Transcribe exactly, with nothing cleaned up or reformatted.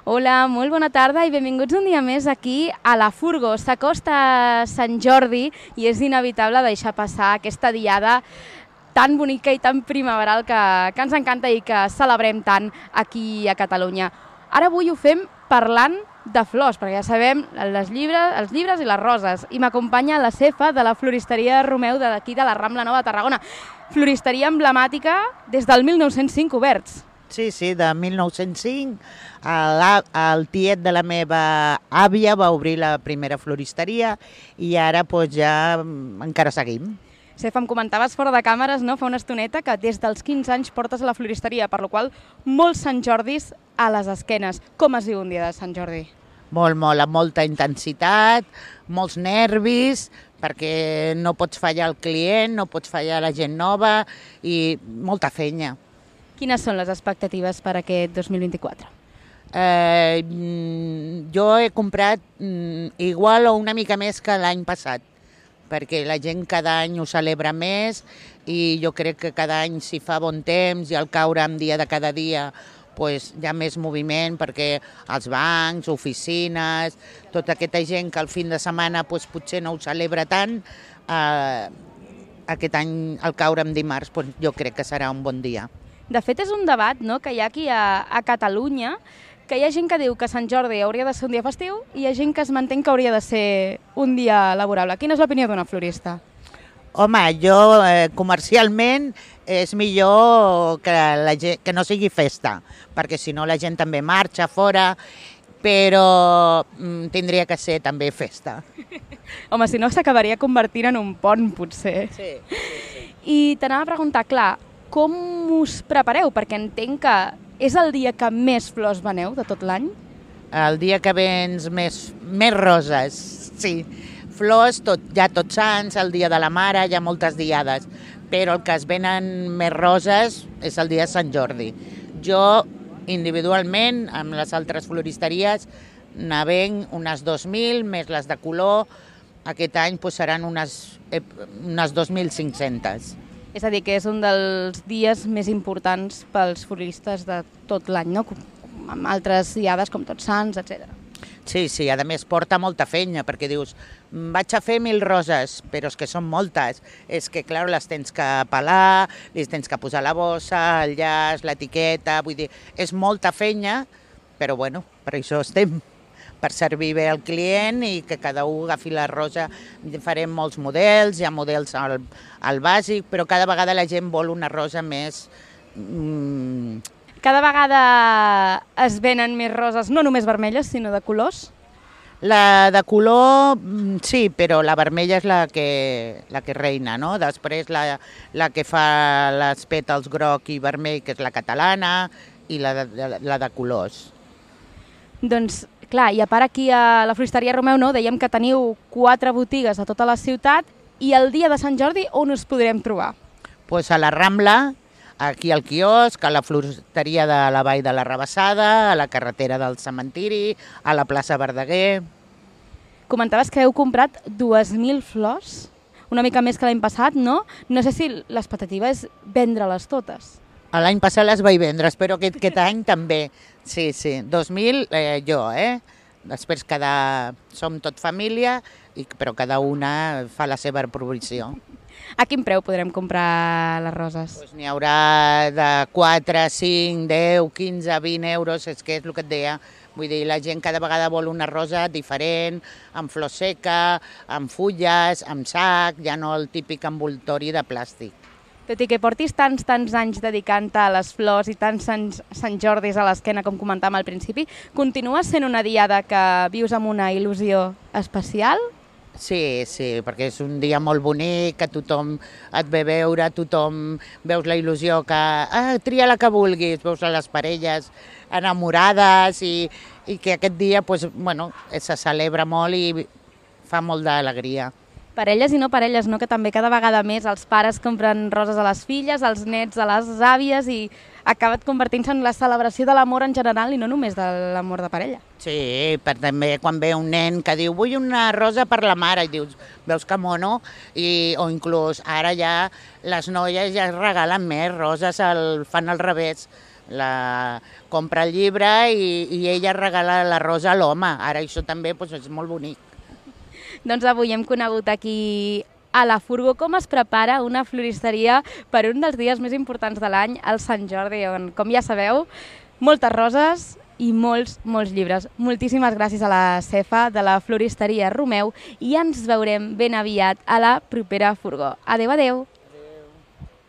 Hola, molt bona tarda i benvinguts un dia més aquí a la Furgo. S'acosta Sant Jordi i és inevitable deixar passar aquesta diada tan bonica i tan primaveral que, que ens encanta i que celebrem tant aquí a Catalunya. Ara avui ho fem parlant de flors, perquè ja sabem les llibres, els llibres i les roses. I m'acompanya la cefa de la floristeria Romeu d'aquí de la Rambla Nova de Tarragona. Floristeria emblemàtica des del mil nou-cents cinc oberts. Sí, sí, de mil nou-cents cinc. El, el tiet de la meva àvia va obrir la primera floristeria i ara doncs, ja encara seguim. Cefa, em comentaves fora de càmeres, no, fa una estoneta, que des dels quinze anys portes a la floristeria, per la qual molts Sant Jordis a les esquenes. Com es diu un dia de Sant Jordi? Molt, molt, amb molta intensitat, molts nervis, perquè no pots fallar al client, no pots fallar a la gent nova i molta fenya. Quines són les expectatives per aquest dos mil vint-i-quatre? Eh, jo he comprat igual o una mica més que l'any passat, perquè la gent cada any ho celebra més i jo crec que cada any si fa bon temps i al caure en dia de cada dia pues, hi ha més moviment perquè els bancs, oficines, tota aquesta gent que al fin de setmana pues, potser no ho celebra tant, eh, aquest any al caure en dimarts pues, jo crec que serà un bon dia. De fet, és un debat, no?, que hi ha aquí a, a Catalunya, que hi ha gent que diu que Sant Jordi hauria de ser un dia festiu i hi ha gent que es mantén que hauria de ser un dia laborable. Quina és l'opinió d'una florista? Home, jo eh, comercialment és millor que, la gent, que no sigui festa, perquè si no la gent també marxa fora, però mm, tindria que ser també festa. Home, si no s'acabaria convertint en un pont, potser. Sí, sí, sí. I t'anava a preguntar, clar, com us prepareu? Perquè entenc que és el dia que més flors veneu de tot l'any? El dia que vens més, més roses, sí. Flors, tot, ja tots sants, el dia de la mare, hi ha moltes diades, però el que es venen més roses és el dia de Sant Jordi. Jo, individualment, amb les altres floristeries, ne venc unes dos mil, més les de color, aquest any pues, seran unes, unes dos mil cinc-centes. És a dir, que és un dels dies més importants pels floristes de tot l'any, no? Amb altres diades com Tots Sants, etcètera. Sí, sí, a més porta molta fenya, perquè dius, vaig a fer mil roses, però és que són moltes. És que, clar, les tens que pelar, les tens que posar la bossa, el llaç, l'etiqueta, vull dir, és molta fenya, però bueno, per això estem, per servir bé al client i que cada un agafi la rosa. Farem molts models, hi ha models al, al bàsic, però cada vegada la gent vol una rosa més... Mm... Cada vegada es venen més roses, no només vermelles, sinó de colors? La de color, sí, però la vermella és la que, la que reina, no? Després la, la que fa les pètals groc i vermell, que és la catalana, i la de, la de colors. Doncs, clar, i a part aquí a la floristeria Romeu, no, dèiem que teniu quatre botigues a tota la ciutat i el dia de Sant Jordi on us podrem trobar? Pues a la Rambla, aquí al quiosc, a la floristeria de la Vall de la Rabassada, a la carretera del Cementiri, a la plaça Verdaguer. Comentaves que heu comprat dues mil flors, una mica més que l'any passat, no? No sé si l'expectativa és vendre-les totes. L'any passat les vaig vendre, espero que aquest any també. Sí, sí, dos mil eh, jo, eh? Després cada... som tot família, i, però cada una fa la seva provisió. A quin preu podrem comprar les roses? Pues n'hi haurà de quatre, cinc, deu, quinze, vint euros, és que és el que et deia. Vull dir, la gent cada vegada vol una rosa diferent, amb flor seca, amb fulles, amb sac, ja no el típic envoltori de plàstic. Tot i que portis tants, tants anys dedicant-te a les flors i tants Sant, Sant Jordis a l'esquena, com comentàvem al principi, continua sent una diada que vius amb una il·lusió especial? Sí, sí, perquè és un dia molt bonic, que tothom et ve veure, tothom veus la il·lusió que ah, tria la que vulguis, veus les parelles enamorades i, i que aquest dia pues, bueno, se celebra molt i fa molt d'alegria. Parelles i no parelles, no? Que també cada vegada més els pares compren roses a les filles, els nets a les àvies i acaba convertint-se en la celebració de l'amor en general i no només de l'amor de parella. Sí, per també quan ve un nen que diu vull una rosa per la mare i dius, veus que mono, i, o inclús ara ja les noies ja es regalen més roses, el, fan al revés, la compra el llibre i, i ella regala la rosa a l'home. Ara això també doncs, és molt bonic. Doncs avui hem conegut aquí a la Furgo com es prepara una floristeria per un dels dies més importants de l'any, el Sant Jordi, on, com ja sabeu, moltes roses i molts, molts llibres. Moltíssimes gràcies a la Cefa de la floristeria Romeu i ens veurem ben aviat a la propera Furgo. Adéu, adéu!